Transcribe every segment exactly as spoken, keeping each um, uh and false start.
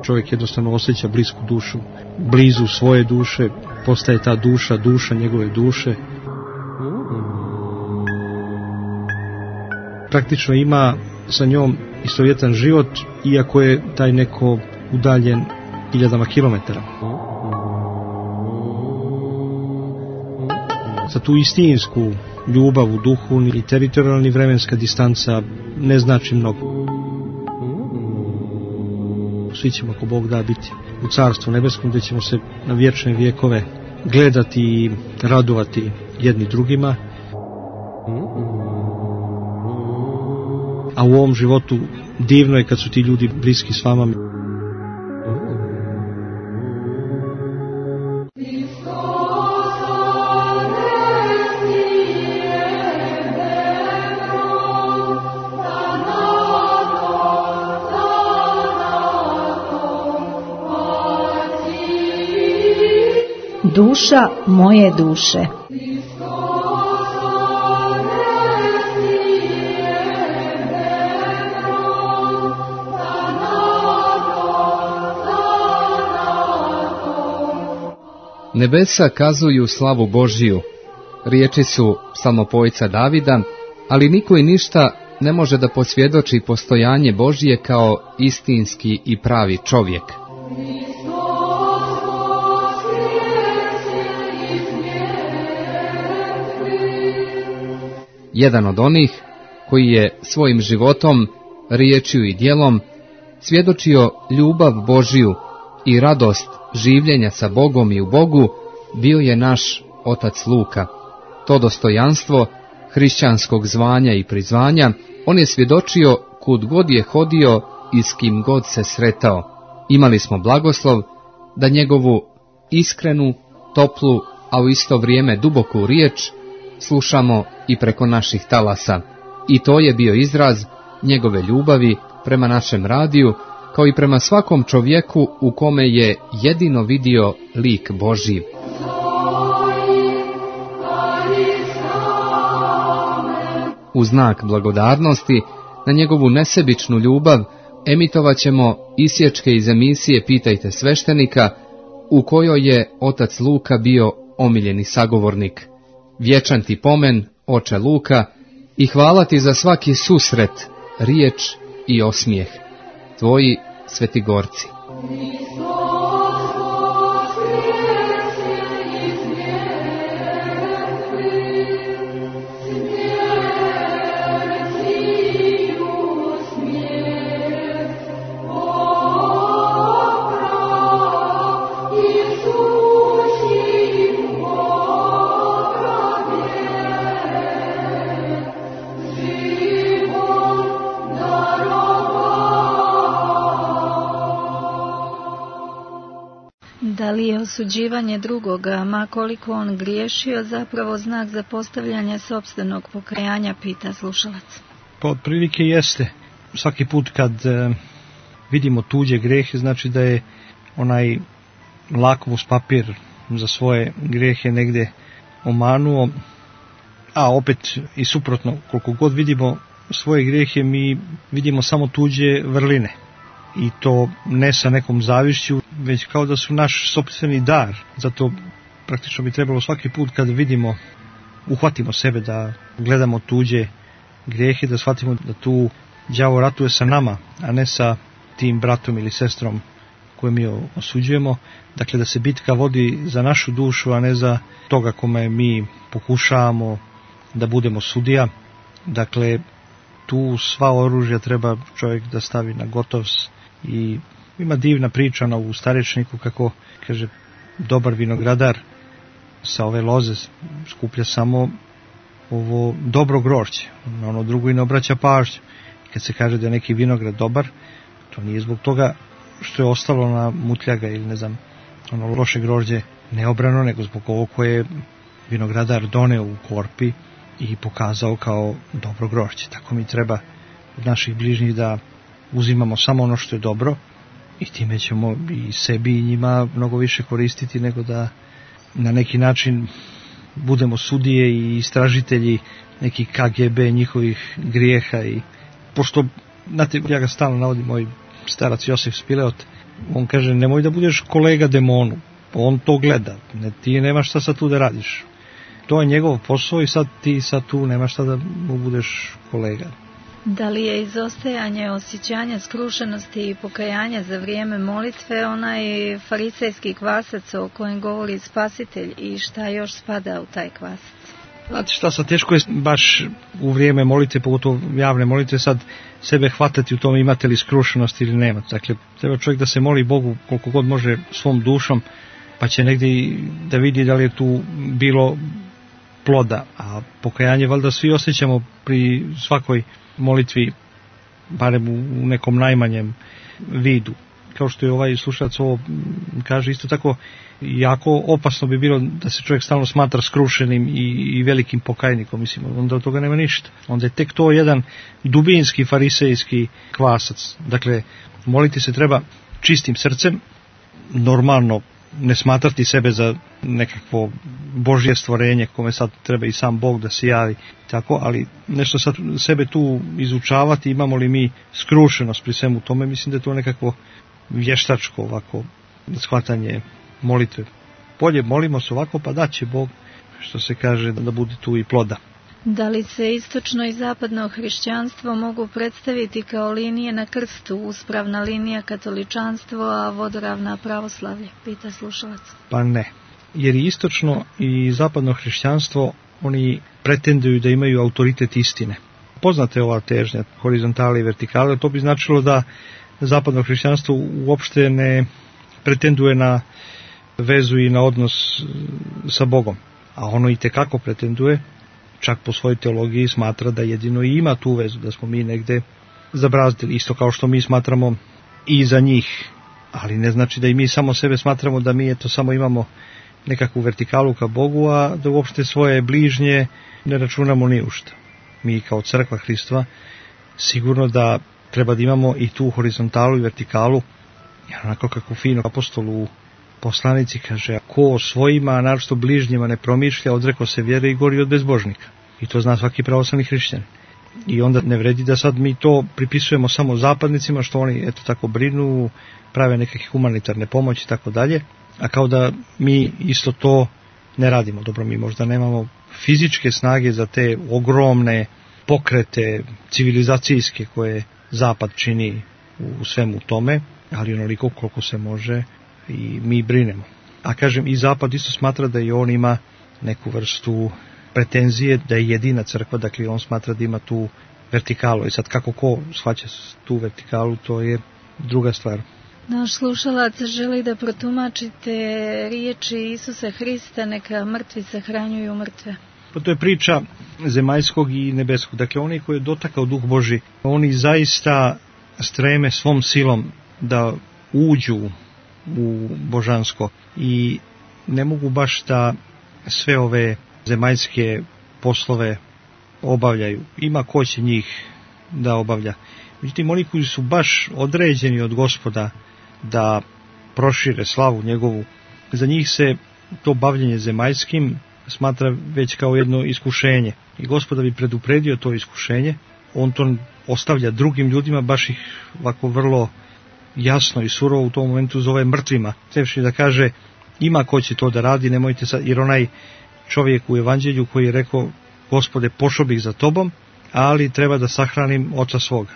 čovjek jednostavno osjeća blisku dušu, blizu svoje duše, postaje ta duša, duša njegove duše. Praktično ima sa njom istovjetan život, iako je taj neko udaljen hiljadama kilometara. Za tu istinsku ljubav u duhu i teritorijalni vremenska distanca ne znači mnogo. Svi ćemo, ako Bog da, biti u Carstvu nebeskom, gdje ćemo se na vječne vjekove gledati i radovati jedni drugima. A u ovom životu divno je kad su ti ljudi bliski s vama. Duša moje duše. Nebesa kazuju slavu Božiju, riječi su psalmopojca Davida, ali niko i ništa ne može da posvjedoči postojanje Božije kao istinski i pravi čovjek. Jedan od onih koji je svojim životom, riječju i djelom svjedočio ljubav Božiju i radost življenja sa Bogom i u Bogu, bio je naš otac Luka. To dostojanstvo hrišćanskog zvanja i prizvanja on je svjedočio kud god je hodio i s kim god se sretao. Imali smo blagoslov da njegovu iskrenu, toplu, a u isto vrijeme duboku riječ slušamo i preko naših talasa. I to je bio izraz njegove ljubavi prema našem radiju, kao i prema svakom čovjeku u kome je jedino vidio lik Božji. U znak blagodarnosti na njegovu nesebičnu ljubav emitovat ćemo isječke iz emisije Pitajte sveštenika, u kojoj je otac Luka bio omiljeni sagovornik. Vječan ti pomen, oče Luka, i hvala ti za svaki susret, riječ i osmijeh. Tvoji Svetigorci. Da li je osuđivanje drugoga, ma koliko on griješio, zapravo znak za postavljanje sopstvenog pokajanja, pita slušalac? Pa otprilike jeste. Svaki put kad e, vidimo tuđe grehe, znači da je onaj lakmus papir za svoje grehe negde omanuo, a opet i suprotno, koliko god vidimo svoje grehe, mi vidimo samo tuđe vrline. I to ne sa nekom zavišću, već kao da su naš sopstveni dar. Zato praktično bi trebalo svaki put kad vidimo, uhvatimo sebe da gledamo tuđe grijehe, da shvatimo da tu đavo ratuje sa nama, a ne sa tim bratom ili sestrom koje mi osuđujemo. Dakle, da se bitka vodi za našu dušu, a ne za toga kome mi pokušavamo da budemo sudija. Dakle, tu sva oružja treba čovjek da stavi na gotovs. I ima divna priča u Starečniku kako, kaže, dobar vinogradar sa ove loze skuplja samo ovo dobro grožđe, na ono drugo i ne obraća pažnju. Kad se kaže da je neki vinograd dobar, to nije zbog toga što je ostalo na mutljaga ili ne znam, ono loše grožđe neobrano, nego zbog ovo koje vinogradar doneo u korpi i pokazao kao dobro grožđe. Tako mi treba od naših bližnjih da uzimamo samo ono što je dobro i time ćemo i sebi i njima mnogo više koristiti nego da na neki način budemo sudije i istražitelji neki K G B njihovih grijeha. I pošto, znate, ja ga stalno navodim, moj starac Josif Spileot, On kaže, nemoj da budeš kolega demonu, on to gleda, ne, ti nemaš šta sad tu da radiš. To je njegov posao i sad ti sad tu nemaš šta da mu budeš kolega. Da li je izostajanje osjećanja skrušenosti i pokajanja za vrijeme molitve onaj farisejski kvasac o kojem govori Spasitelj i šta još spada u taj kvasac? Znate šta, sad teško je baš u vrijeme molitve, pogotovo javne molitve, sad sebe hvatati u tome imate li skrušenost ili nema. Dakle, treba čovjek da se moli Bogu koliko god može svom dušom, pa će negdje da vidi da li je tu bilo ploda. A pokajanje valjda svi osjećamo pri svakoj molitvi, barem u nekom najmanjem vidu. Kao što je ovaj slušalac ovo kaže, isto tako jako opasno bi bilo da se čovjek stalno smatra skrušenim i, i velikim pokajnikom, mislim, onda od toga nema ništa. Onda je tek to jedan dubinski farisejski kvasac. Dakle, moliti se treba čistim srcem, normalno ne smatrati sebe za nekakvo Božje stvorenje kome sad treba i sam Bog da se javi, tako, ali nešto sad sebe tu izučavati, imamo li mi skrušenost pri svemu tome, mislim da je to nekakvo vještačko ovako shvatanje molitve. Bolje molimo se ovako, pa da će Bog, što se kaže, da bude tu i ploda. Da li se istočno i zapadno hrišćanstvo mogu predstaviti kao linije na krstu, uspravna linija katoličanstvo, a vodoravna pravoslavlje, pita slušalac? Pa ne, jer i istočno i zapadno hrišćanstvo, oni pretenduju da imaju autoritet istine. Poznate ova težnja horizontale i vertikale, to bi značilo da zapadno hrišćanstvo uopšte ne pretenduje na vezu i na odnos sa Bogom, a ono i tekako pretenduje, čak po svojoj teologiji smatra da jedino i ima tu vezu, da smo mi negde zabrazdili, isto kao što mi smatramo i za njih, ali ne znači da i mi samo sebe smatramo da mi eto samo imamo nekakvu vertikalu ka Bogu, a da uopšte svoje bližnje ne računamo ni u šta. Mi kao crkva Hristova sigurno da treba da imamo i tu horizontalu i vertikalu, jer onako kako fino apostol u poslanici kaže, ko svojima, naročito bližnjima ne promišlja, odreko se vjere i gori od bezbožnika. I to zna svaki pravoslavni hrišćan. I onda ne vredi da sad mi to pripisujemo samo zapadnicima, što oni eto tako brinu, prave neke humanitarne pomoći i tako dalje, a kao da mi isto to ne radimo. Dobro, mi možda nemamo fizičke snage za te ogromne pokrete civilizacijske koje zapad čini u svemu tome, ali onoliko koliko se može i mi brinemo. A kažem, i zapad isto smatra da i on ima neku vrstu pretenzije da je jedina crkva, dakle on smatra da ima tu vertikalu. I sad kako ko shvaća tu vertikalu, to je druga stvar. Naš slušalac želi da protumačite riječi Isusa Hrista, neka mrtvi sahranjuju mrtve. Pa to je priča zemaljskog i nebeskog. Dakle, oni koji je dotakao Duh Božji, oni zaista streme svom silom da uđu u božansko i ne mogu baš da sve ove zemaljske poslove obavljaju. Ima ko će njih da obavlja. Međutim, oni koji su baš određeni od Gospoda da prošire slavu njegovu, za njih se to bavljenje zemaljskim smatra već kao jedno iskušenje. I Gospoda bi predupredio to iskušenje, on to ostavlja drugim ljudima, baš ih ovako vrlo jasno i surovo u tom momentu zove mrtvima. Trebši da kaže, ima ko će to da radi, nemojte sad, jer onaj čovjek u evanđelju koji je rekao, Gospode, pošao bih za tobom, ali treba da sahranim oca svoga.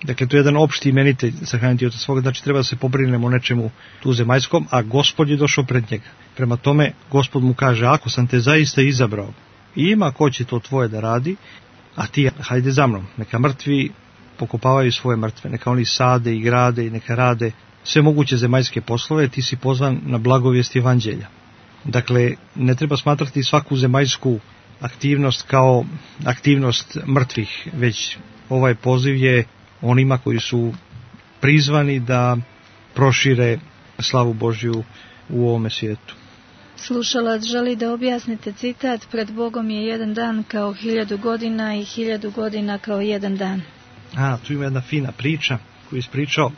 Dakle, to je jedan opšti imenitelj, sahraniti oca svoga, znači treba da se pobrinemo o nečemu tu zemaljskom, a Gospod je došao pred njega. Prema tome, Gospod mu kaže, ako sam te zaista izabrao, ima ko će to tvoje da radi, a ti hajde za mnom, neka mrtvi pokopavaju svoje mrtve, neka oni sade i grade i neka rade sve moguće zemaljske poslove, ti si pozvan na blagovijest evanđelja. Dakle, ne treba smatrati svaku zemaljsku aktivnost kao aktivnost mrtvih, već ovaj poziv je onima koji su prizvani da prošire slavu Božju u ovome svijetu. Slušalac želi da objasnite citat, pred Bogom je jedan dan kao hiljadu godina i hiljadu godina kao jedan dan. A, tu ima jedna fina priča koju je ispričao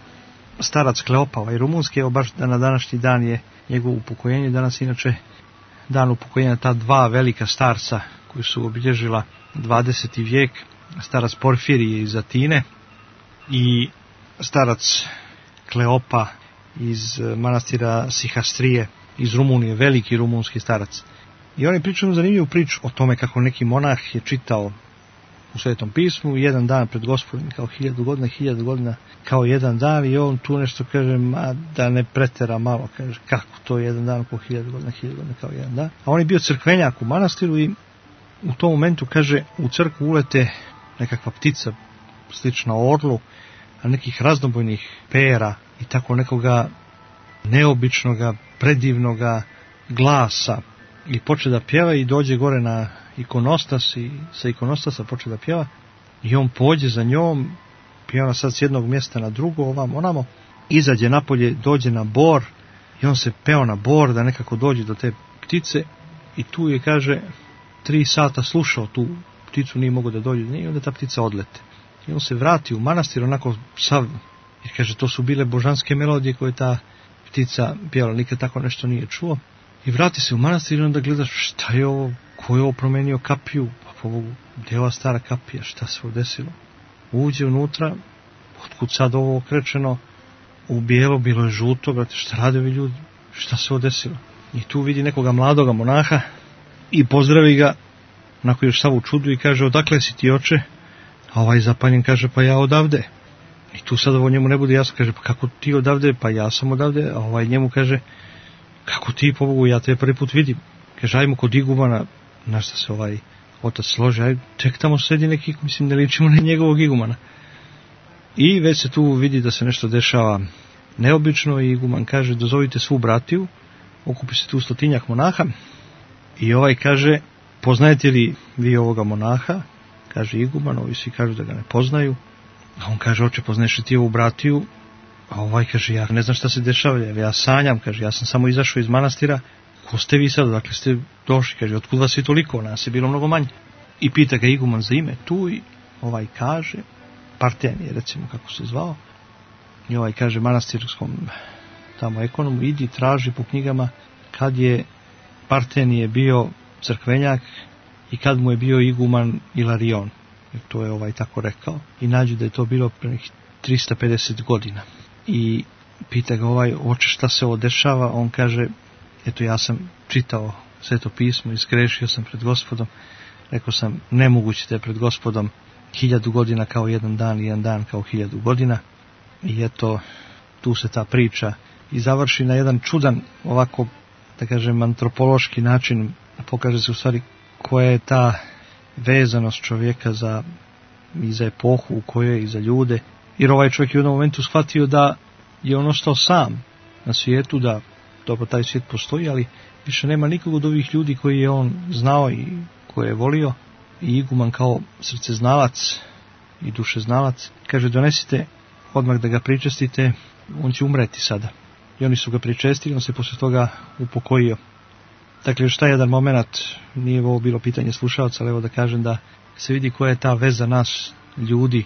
starac Kleopa, ovaj rumunski, evo baš na današnji dan je njegovo upokojenje, danas inače dan upokojenja ta dva velika starca koji su obilježila dvadeseti vijek, starac Porfirije iz Atine i starac Kleopa iz manastira Sihastrije, iz Rumunije, veliki rumunski starac. I oni pričaju zanimljivu priču o tome kako neki monah je čitao u Svetom pismu jedan dan pred Gospodom kao hiljadu godina, hiljadu godina kao jedan dan, i on tu nešto kaže, ma da ne pretera malo, kaže kako to je jedan dan kao hiljadu godina, hiljadu godina kao jedan dan. A on je bio crkvenjak u manastiru i u tom momentu, kaže, u crkvu ulete nekakva ptica slična orlu, a nekih raznobojnih pera i tako nekoga neobičnoga, predivnoga glasa, i poče da pjeva i dođe gore na ikonostas i sa ikonostasa poče da pjeva i on pođe za njom, pjeva sad s jednog mjesta na drugo, ovam onamo, izađe napolje, dođe na bor i on se peo na bor da nekako dođe do te ptice i tu je, kaže, tri sata slušao tu pticu, nije mogao da dođe do nje i onda ta ptica odlete. I on se vrati u manastir onako sav, jer kaže to su bile božanske melodije koje ta ptica pjevala, nikad tako nešto nije čuo. I vrati se u manastir i onda gledaš šta je ovo, ko je ovo promenio kapiju, pa po Bogu, gdje je ova stara kapija, šta se ovo desilo. Uđe unutra, otkud sad ovo okrečeno, u bijelo, bilo je žuto, brate, šta rade ovi ljudi, šta se ovo desilo. I tu vidi nekoga mladoga monaha i pozdravi ga, onako još sav u čudu i kaže, odakle si ti, oče? A ovaj zapanjen kaže, pa ja odavde. I tu sad ovo njemu ne bude jasno, kaže, pa kako ti odavde? Pa ja sam odavde. A ovaj njemu kaže, kako ti, po Bogu, ja te prvi put vidim. Kaže, ajmo kod igumana, na šta se ovaj otac složi, aj, tek tamo sedi neki, mislim, ne ličimo na njegovog igumana. I već se tu vidi da se nešto dešava neobično i iguman kaže, dozovite svu bratiju, okupi se tu stotinjak monaha i ovaj kaže, poznajete li vi ovoga monaha? Kaže iguman, ovi svi kažu da ga ne poznaju. A on kaže, oče, poznaješ li ti ovu bratiju? A ovaj kaže, ja ne znam šta se dešava, ja sanjam, kaže, ja sam samo izašao iz manastira, ko ste vi sad, dakle ste došli, kaže, otkud vas je toliko, nas je bilo mnogo manje. I pita ga iguman za ime tu i ovaj kaže, Partenije recimo kako se zvao, i ovaj kaže manastirskom tamo ekonomu, idi traži po knjigama kad je Partenije bio crkvenjak i kad mu je bio iguman Ilarion, jer to je ovaj tako rekao, i nađu da je to bilo pre nekih trista pedeset godina. I pita ga ovaj, oče, šta se ovo dešava? On kaže, eto, ja sam čitao Sveto pismo i zgrešio sam pred Gospodom, rekao sam, nemoguće da je pred Gospodom hiljadu godina kao jedan dan i jedan dan kao hiljadu godina. I eto, tu se ta priča i završi na jedan čudan, ovako, da kažem, antropološki način, pokaže se u stvari koja je ta vezanost čovjeka za, i za epohu u kojoj je i za ljude, jer ovaj čovjek je u jednom momentu shvatio da je on ostao sam na svijetu, da dobro taj svijet postoji, ali više nema nikog od ovih ljudi koji je on znao i koje je volio. I iguman kao srceznalac i dušeznalac kaže, donesite odmah da ga pričestite, on će umreti sada. I oni su ga pričestili, on se posle toga upokojio. Dakle, još taj jedan moment, nije ovo bilo pitanje slušalca, ali evo da kažem da se vidi koja je ta veza nas ljudi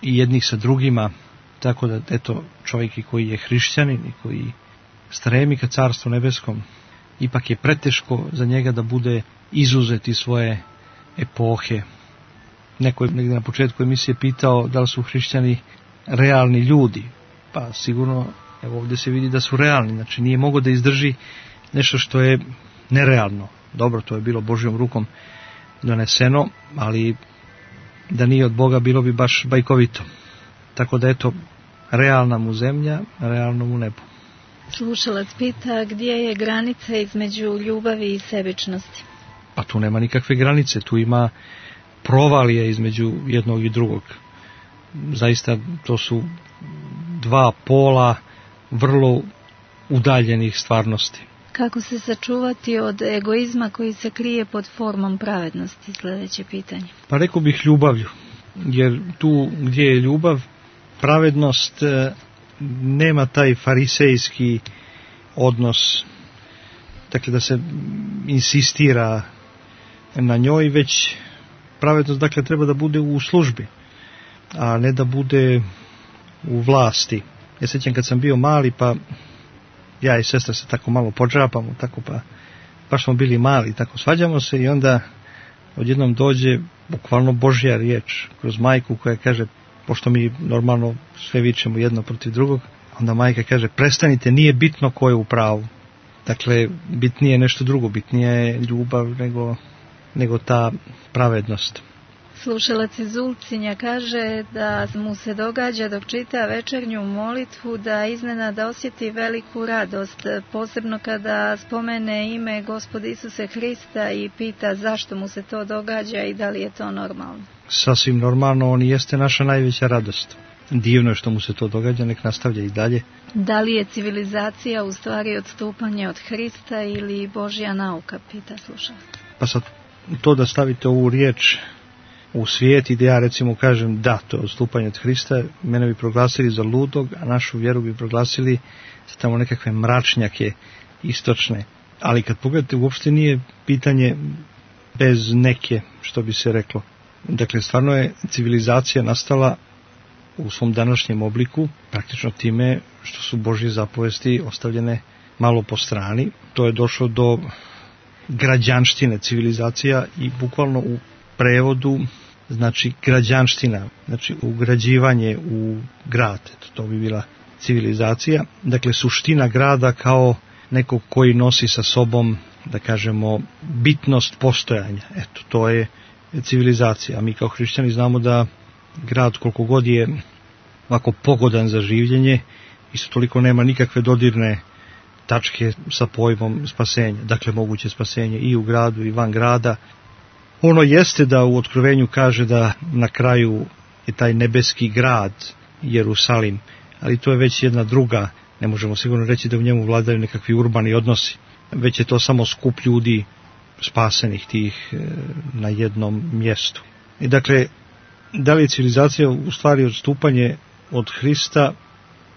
i jednih sa drugima, tako da eto, čovjek koji je hrišćanin i koji stremi ka carstvu nebeskom, ipak je preteško za njega da bude izuzet iz svoje epohe. Neko je negdje na početku emisije pitao da li su hrišćani realni ljudi, pa sigurno evo ovdje se vidi da su realni, znači nije mogao da izdrži nešto što je nerealno. Dobro, to je bilo Božjom rukom doneseno, ali da nije od Boga bilo bi baš bajkovito. Tako da eto, realna mu zemlja, realno mu nebo. Slušalac pita, gdje je granica između ljubavi i sebičnosti? Pa tu nema nikakve granice, tu ima provalije između jednog i drugog. Zaista to su dva pola vrlo udaljenih stvarnosti. Kako se sačuvati od egoizma koji se krije pod formom pravednosti? Sljedeće pitanje. Pa rekao bih ljubavlju, jer tu gdje je ljubav, pravednost nema taj farisejski odnos, dakle da se insistira na njoj, već pravednost dakle treba da bude u službi, a ne da bude u vlasti. Ja sjećam kad sam bio mali, pa ja i sestra se tako malo podžapamo, tako pa baš smo bili mali, tako svađamo se i onda odjednom dođe bukvalno Božja riječ kroz majku koja kaže, pošto mi normalno sve vičemo jedno protiv drugog, onda majka kaže, prestanite, nije bitno ko je u pravu. Dakle, bitnije je nešto drugo, bitnije je ljubav nego, nego ta pravednost. Slušalac iz Ulcinja kaže da mu se događa dok čita večernju molitvu da iznenada osjeti veliku radost, posebno kada spomene ime Gospoda Isuse Hrista i pita zašto mu se to događa i da li je to normalno. Sasvim normalno, on jeste naša najveća radost. Divno je što mu se to događa, nek nastavlja i dalje. Da li je civilizacija u stvari odstupanje od Hrista ili Božja nauka, pita slušalac. Pa sad to da stavite ovu riječ u svijet i da ja recimo kažem da, to je odstupanje od Hrista, mene bi proglasili za ludog, a našu vjeru bi proglasili za tamo nekakve mračnjake istočne. Ali kad pogledate, uopšte nije pitanje bez neke, što bi se reklo. Dakle, stvarno je civilizacija nastala u svom današnjem obliku, praktično time što su Božje zapovesti ostavljene malo po strani. To je došlo do građanštine, civilizacija i bukvalno u prevodu znači građanština, znači ugrađivanje u grad, eto, to bi bila civilizacija. Dakle, suština grada kao nekog koji nosi sa sobom, da kažemo, bitnost postojanja. Eto, to je civilizacija. A mi kao hrišćani znamo da grad koliko god je ovako pogodan za življenje, isto toliko nema nikakve dodirne tačke sa pojmom spasenja. Dakle, moguće spasenje i u gradu i van grada. Ono jeste da u Otkrovenju kaže da na kraju je taj nebeski grad Jerusalim, ali to je već jedna druga, ne možemo sigurno reći da u njemu vladaju nekakvi urbani odnosi, već je to samo skup ljudi spasenih tih na jednom mjestu. I dakle, da li je civilizacija u stvari odstupanje od Hrista?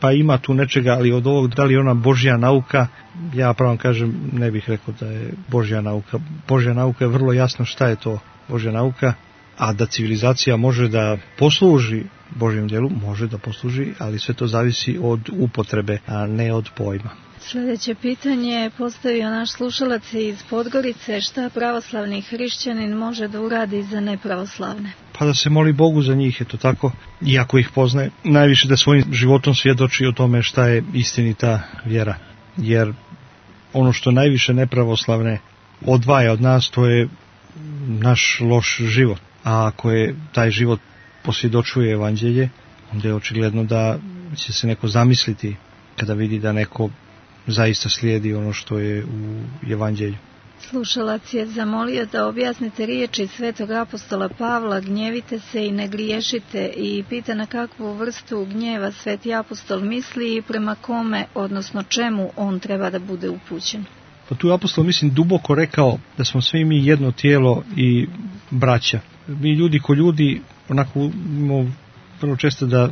Pa ima tu nečega, ali od ovog, da li je ona Božja nauka, ja pravo kažem, ne bih rekao da je Božja nauka. Božja nauka je vrlo jasno šta je to Božja nauka, a da civilizacija može da posluži Božjem djelu, može da posluži, ali sve to zavisi od upotrebe, a ne od pojma. Sljedeće pitanje je postavio naš slušalac iz Podgorice, šta pravoslavni hrišćanin može da uradi za nepravoslavne? Pa da se moli Bogu za njih, eto tako, iako ih poznaje, najviše da svojim životom svjedoči o tome šta je istinita vjera. Jer ono što najviše nepravoslavne odvaja od nas, to je naš loš život. A ako je taj život posvjedočuje evanđelje, onda je očigledno da će se neko zamisliti kada vidi da neko zaista slijedi ono što je u evanđelju. Slušalac je zamolio da objasnite riječi svetog apostola Pavla, gnjevite se i ne griješite, i pita na kakvu vrstu gnjeva sveti apostol misli i prema kome, odnosno čemu on treba da bude upućen. Pa tu je apostol, mislim, duboko rekao da smo svi mi jedno tijelo i braća. Mi ljudi ko ljudi, onako imamo vrlo često da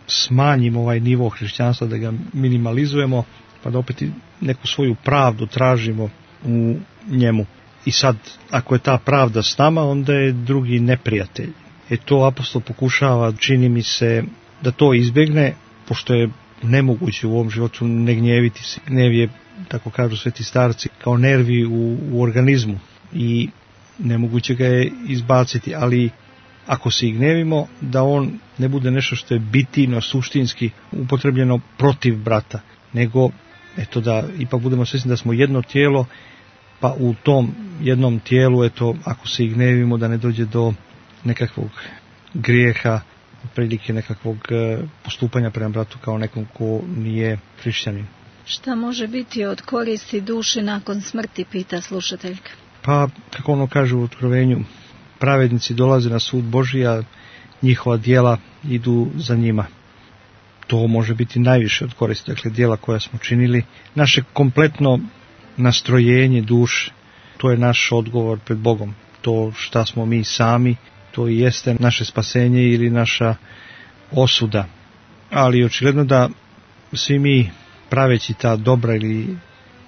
smanjimo ovaj nivo hrišćanstva, da ga minimalizujemo, pa da opet neku svoju pravdu tražimo u njemu. I sad, ako je ta pravda s nama, onda je drugi neprijatelj. E to apostol pokušava, čini mi se, da to izbjegne, pošto je nemoguće u ovom životu ne gnjeviti se. Gnev je, tako kažu sveti starci, kao nervi u, u organizmu i nemoguće ga je izbaciti, ali ako se i gnevimo, da on ne bude nešto što je bitino, suštinski upotrebljeno protiv brata, nego eto da ipak budemo svjesni da smo jedno tijelo, pa u tom jednom tijelu, eto, ako se i gnevimo, da ne dođe do nekakvog grijeha, prilike nekakvog postupanja prema bratu kao nekom ko nije hrišćanin. Šta može biti od koristi duši nakon smrti, pita slušateljka. Pa, kako ono kaže u Otkrovenju, pravednici dolaze na sud Božji, a njihova djela idu za njima. To može biti najviše od koristi, dakle djela koja smo činili. Naše kompletno nastrojenje duše, to je naš odgovor pred Bogom. To šta smo mi sami, to i jeste naše spasenje ili naša osuda. Ali očigledno da svi mi, praveći ta dobra ili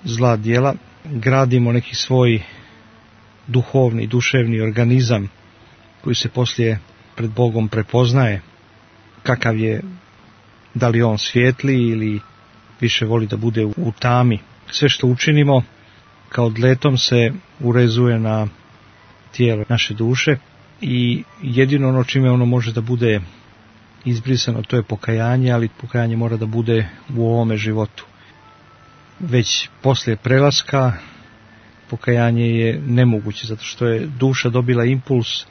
zla djela, gradimo neki svoj duhovni, duševni organizam koji se poslije pred Bogom prepoznaje kakav je, da li on svijetli ili više voli da bude u tami. Sve što učinimo kao dletom se urezuje na tijelo naše duše i jedino ono čime ono može da bude izbrisano, to je pokajanje, ali pokajanje mora da bude u ovome životu. Već poslije prelaska pokajanje je nemoguće, zato što je duša dobila impuls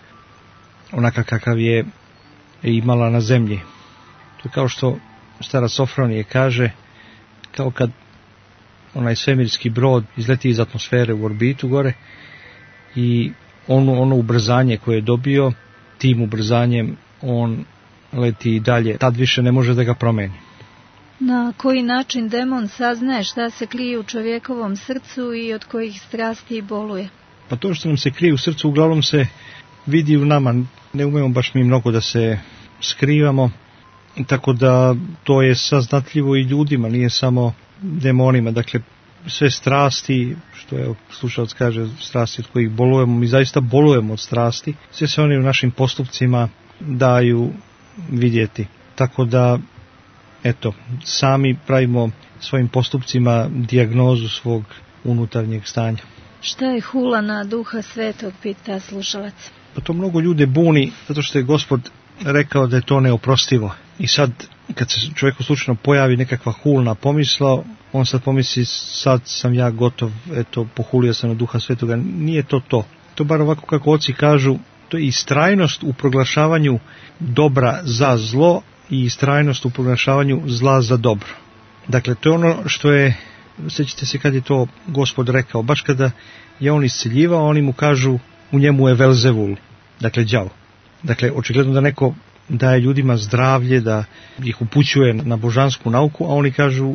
onakav kakav je imala na zemlji. To je kao što starac Sofronije kaže, kao kad onaj svemirski brod izleti iz atmosfere u orbitu gore i ono, ono ubrzanje koje je dobio, tim ubrzanjem on leti i dalje, tad više ne može da ga promeni. Na koji način demon saznaje šta se krije u čovjekovom srcu i od kojih strasti boluje? Pa to što nam se krije u srcu uglavnom se vidi u nama, ne umemo baš mi mnogo da se skrivamo, tako da to je saznatljivo i ljudima, nije samo demonima. Dakle, sve strasti, što je slušalac kaže, strasti od kojih bolujemo, mi zaista bolujemo od strasti, sve se oni u našim postupcima daju vidjeti. Tako da, eto, sami pravimo svojim postupcima dijagnozu svog unutarnjeg stanja. Šta je hula na Duha Svetog, pita slušalac? Pa to mnogo ljude buni, zato što je Gospod rekao da je to neoprostivo. I sad, kad se čovjeku slučajno pojavi nekakva hulna pomisla, on sad pomisli, sad sam ja gotov, eto, pohulio sam na Duha Svetoga. Nije to to. To bar ovako kako oci kažu, to je istrajnost u proglašavanju dobra za zlo i istrajnost u proglašavanju zla za dobro. Dakle, to je ono što je, sjećate se kad je to Gospod rekao, baš kada je on isceljivao, oni mu kažu, u njemu je Velzevul, dakle đavo. Dakle, očigledno da neko daje ljudima zdravlje, da ih upućuje na božansku nauku, a oni kažu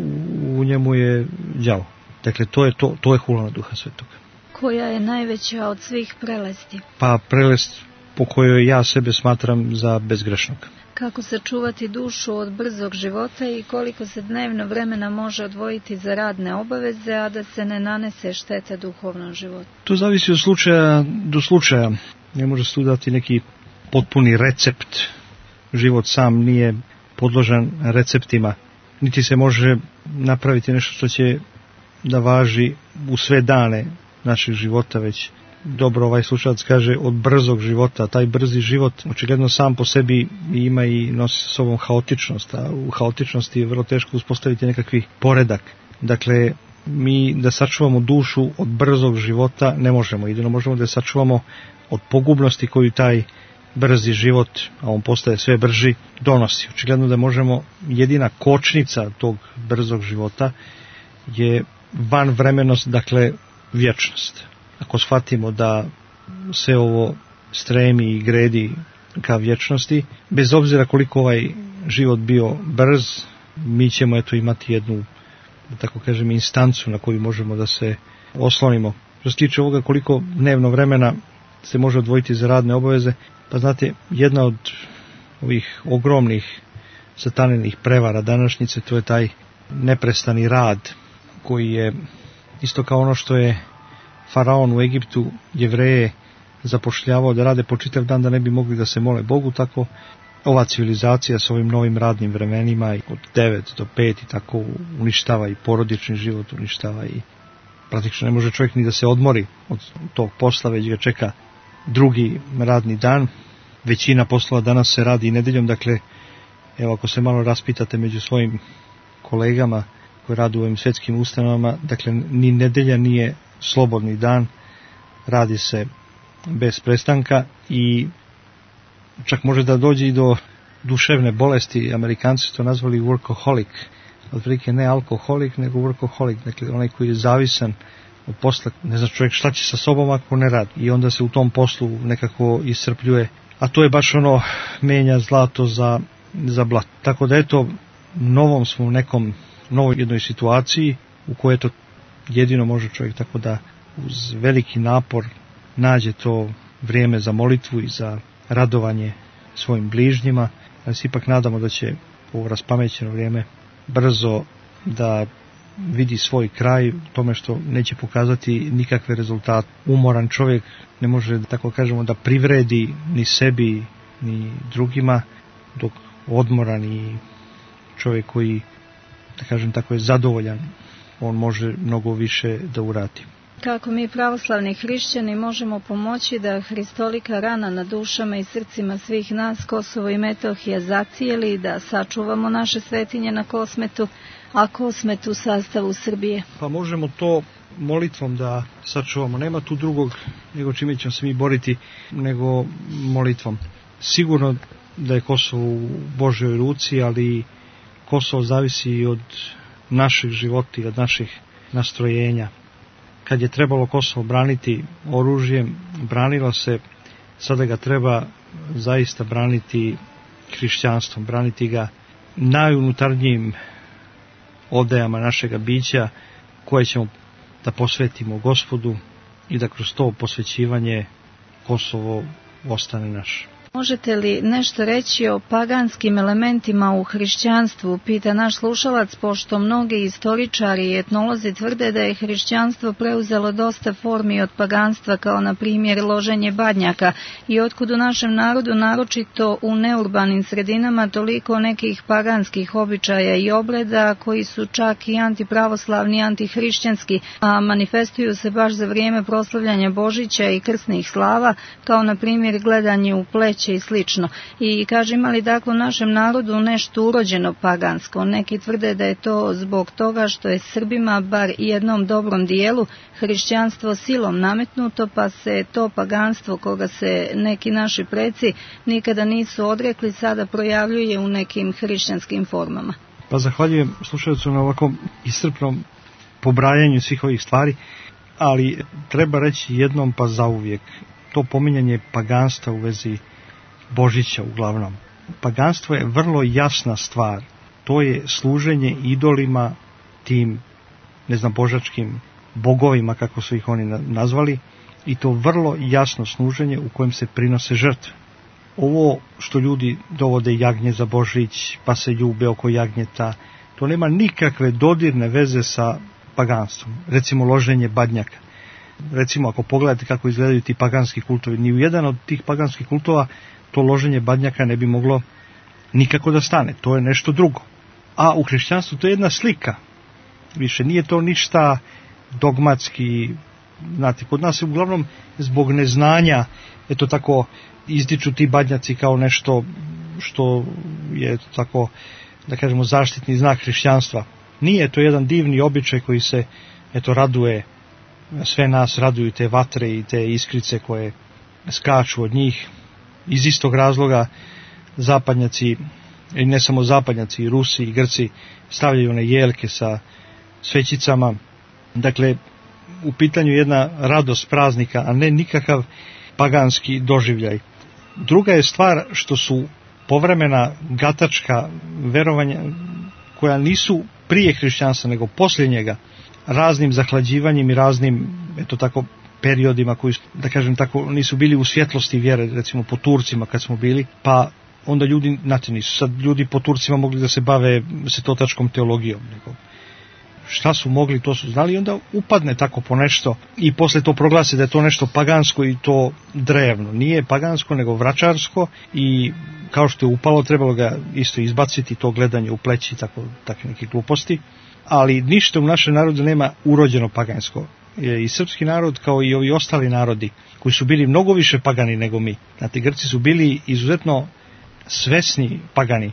u njemu je đavo. Dakle, to je to, to je hula na Duha Svetoga. Koja je najveća od svih prelesti? Pa prelest po kojoj ja sebe smatram za bezgrešnog. Kako sačuvati dušu od brzog života i koliko se dnevno vremena može odvojiti za radne obaveze, a da se ne nanese šteta duhovnom životu? To zavisi od slučaja do slučaja. Ne može se tu dati neki potpuni recept. Život sam nije podložan receptima. Niti se može napraviti nešto što će da važi u sve dane naših života, već dobro ovaj slušalac kaže od brzog života. Taj brzi život očigledno sam po sebi ima i nosi sa sobom haotičnost, a u haotičnosti je vrlo teško uspostaviti nekakvi poredak. Dakle, mi da sačuvamo dušu od brzog života ne možemo, jedino možemo da je sačuvamo od pogubnosti koju taj brzi život, a on postaje sve brži, donosi. Očigledno da možemo, jedina kočnica tog brzog života je vanvremenost, dakle vječnost. Ako shvatimo da sve ovo stremi i gredi ka vječnosti, bez obzira koliko ovaj život bio brz, mi ćemo eto imati jednu, da tako kažem, instancu na koju možemo da se oslonimo. Što se tiče ovoga koliko dnevno vremena se može odvojiti za radne obaveze, pa znate, jedna od ovih ogromnih sataninih prevara današnjice, to je taj neprestani rad, koji je isto kao ono što je Faraon u Egiptu Jevreje zapošljavao da rade po čitav dan da ne bi mogli da se mole Bogu, tako ova civilizacija s ovim novim radnim vremenima od devet do pet i tako uništava i porodični život, uništava i praktično ne može čovjek ni da se odmori od tog posla, već ga čeka drugi radni dan. Većina poslova danas se radi i nedeljom, dakle, evo ako se malo raspitate među svojim kolegama koji rade u ovim svjetskim ustanovama, dakle, ni nedelja nije slobodni dan, radi se bez prestanka i čak može da dođe i do duševne bolesti. Amerikanci su to nazvali workaholic, otprilike ne alkoholik, nego workaholic, dakle onaj koji je zavisan od posla, ne zna čovjek šta će sa sobom ako ne radi i onda se u tom poslu nekako iscrpljuje, a to je baš ono menja zlato za, za blato. Tako da eto, novom smo u nekom, novoj jednoj situaciji u kojoj to jedino može čovjek tako da uz veliki napor nađe to vrijeme za molitvu i za radovanje svojim bližnjima, ali se ipak nadamo da će ovo raspamećeno vrijeme brzo da vidi svoj kraj u tome što neće pokazati nikakve rezultate. Umoran čovjek ne može, tako kažemo, da privredi ni sebi ni drugima, dok odmoran i čovjek koji, da kažem tako, je zadovoljan, on može mnogo više da uradi. Kako mi pravoslavni hrišćani možemo pomoći da hristolika rana na dušama i srcima svih nas Kosovo i Metohija zacijeli, da sačuvamo naše svetinje na Kosmetu, a Kosmet u sastavu Srbije? Pa možemo to molitvom da sačuvamo. Nema tu drugog nego čime ćemo se mi boriti nego molitvom. Sigurno da je Kosovo u Božjoj ruci, ali Kosovo zavisi i od naših života i od naših nastrojenja. Kad je trebalo Kosovo braniti oružjem, branilo se, sada ga treba zaista braniti hrišćanstvom, braniti ga najunutarnjim odajama našega bića, koje ćemo da posvetimo Gospodu i da kroz to posvećivanje Kosovo ostane naš. Možete li nešto reći o paganskim elementima u hrišćanstvu, pita naš slušalac, pošto mnogi istoričari i etnolozi tvrde da je hrišćanstvo preuzelo dosta formi od paganstva, kao na primjer loženje badnjaka, i otkud u našem narodu, naročito u neurbanim sredinama, toliko nekih paganskih običaja i obreda koji su čak i antipravoslavni, antihrišćanski, a manifestuju se baš za vrijeme proslavljanja Božića i krsnih slava, kao na primjer gledanje u pleć i slično. I kaže, ima li dakle u našem narodu nešto urođeno pagansko? Neki tvrde da je to zbog toga što je Srbima, bar jednom dobrom dijelu, hrišćanstvo silom nametnuto, pa se to paganstvo koga se neki naši preci nikada nisu odrekli sada projavljuje u nekim hrišćanskim formama. Pa zahvaljujem slušalcu na ovakvom iscrpnom pobrajanju svih ovih stvari, ali treba reći jednom pa zauvijek, to pominjanje paganstva u vezi Božića uglavnom. Paganstvo je vrlo jasna stvar. To je služenje idolima, tim, ne znam, božačkim bogovima, kako su ih oni nazvali, i to vrlo jasno služenje u kojem se prinose žrtve. Ovo što ljudi dovode jagnje za Božić, pa se ljube oko jagnjeta, to nema nikakve dodirne veze sa paganstvom. Recimo loženje badnjaka. Recimo, ako pogledate kako izgledaju ti paganski kultovi, ni u jedan od tih paganskih kultova to loženje badnjaka ne bi moglo nikako da stane. To je nešto drugo. A u hrišćanstvu to je jedna slika. Više nije to ništa dogmatski. Znate, kod nas je uglavnom zbog neznanja, eto tako, izdiču ti badnjaci kao nešto što je tako, da kažemo, zaštitni znak hrišćanstva. Nije, to jedan divni običaj koji se, eto, raduje, sve nas raduju te vatre i te iskrice koje skaču od njih. Iz istog razloga zapadnjaci, i ne samo zapadnjaci, i Rusi i Grci stavljaju one jelke sa svećicama. Dakle, u pitanju je jedna radost praznika, a ne nikakav paganski doživljaj. Druga je stvar što su povremena gatačka verovanja koja nisu prije hrišćanstva nego poslije njega, raznim zahlađivanjem i raznim, eto tako, periodima koji, da kažem tako, nisu bili u svjetlosti vjere, recimo po Turcima kad smo bili, pa onda ljudi, znate, nisu sad ljudi po Turcima mogli da se bave svetotačkom teologijom, nego šta su mogli, to su znali, i onda upadne tako po nešto i posle to proglasi da je to nešto pagansko i to drevno. Nije pagansko, nego vračarsko, i kao što je upalo, trebalo ga isto izbaciti, to gledanje u pleći, tako, takve neke gluposti, ali ništa u našem narodu nema urođeno pagansko. I srpski narod, kao i ovi ostali narodi koji su bili mnogo više pagani nego mi. Znate, Grci su bili izuzetno svesni pagani.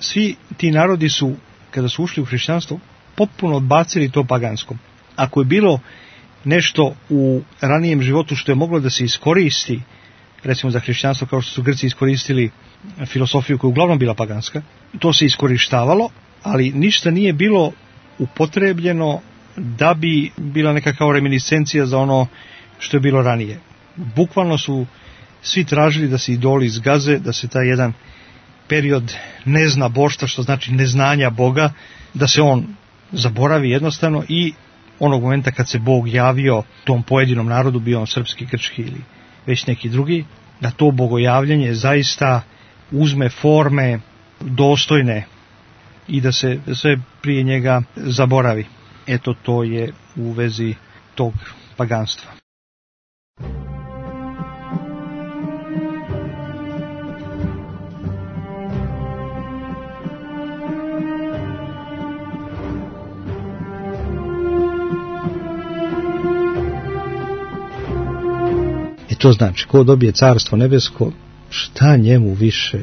Svi ti narodi su, kada su ušli u hrišćanstvo, potpuno odbacili to pagansko. Ako je bilo nešto u ranijem životu što je moglo da se iskoristi, recimo za hrišćanstvo, kao što su Grci iskoristili filosofiju koja je uglavnom bila paganska, to se iskorištavalo, ali ništa nije bilo upotrebljeno da bi bila neka kao reminiscencija za ono što je bilo ranije. Bukvalno su svi tražili da se idoli zgaze, da se taj jedan period nezna boštva, što znači neznanja Boga, da se on zaboravi jednostavno, i onog momenta kad se Bog javio tom pojedinom narodu, bio on srpski, grčki ili već neki drugi, da to bogojavljanje zaista uzme forme dostojne i da se sve prije njega zaboravi. Eto, to je u vezi tog paganstva. to znači, ko dobije carstvo nebesko, šta njemu više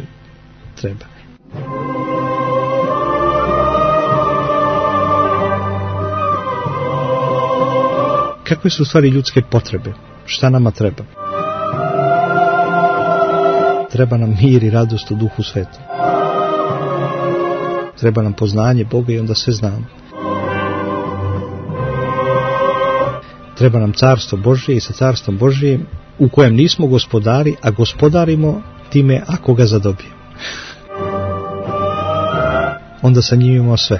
treba? Kakve su u stvari ljudske potrebe? Šta nama treba? Treba nam mir i radost u Duhu Svetom. Treba nam poznanje Boga i onda sve znamo. Treba nam carstvo Božje i sa carstvom Božjim u kojem nismo gospodari, a gospodarimo time ako ga zadobijemo. Onda sa njim imamo sve.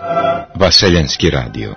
Vaseljenski radio.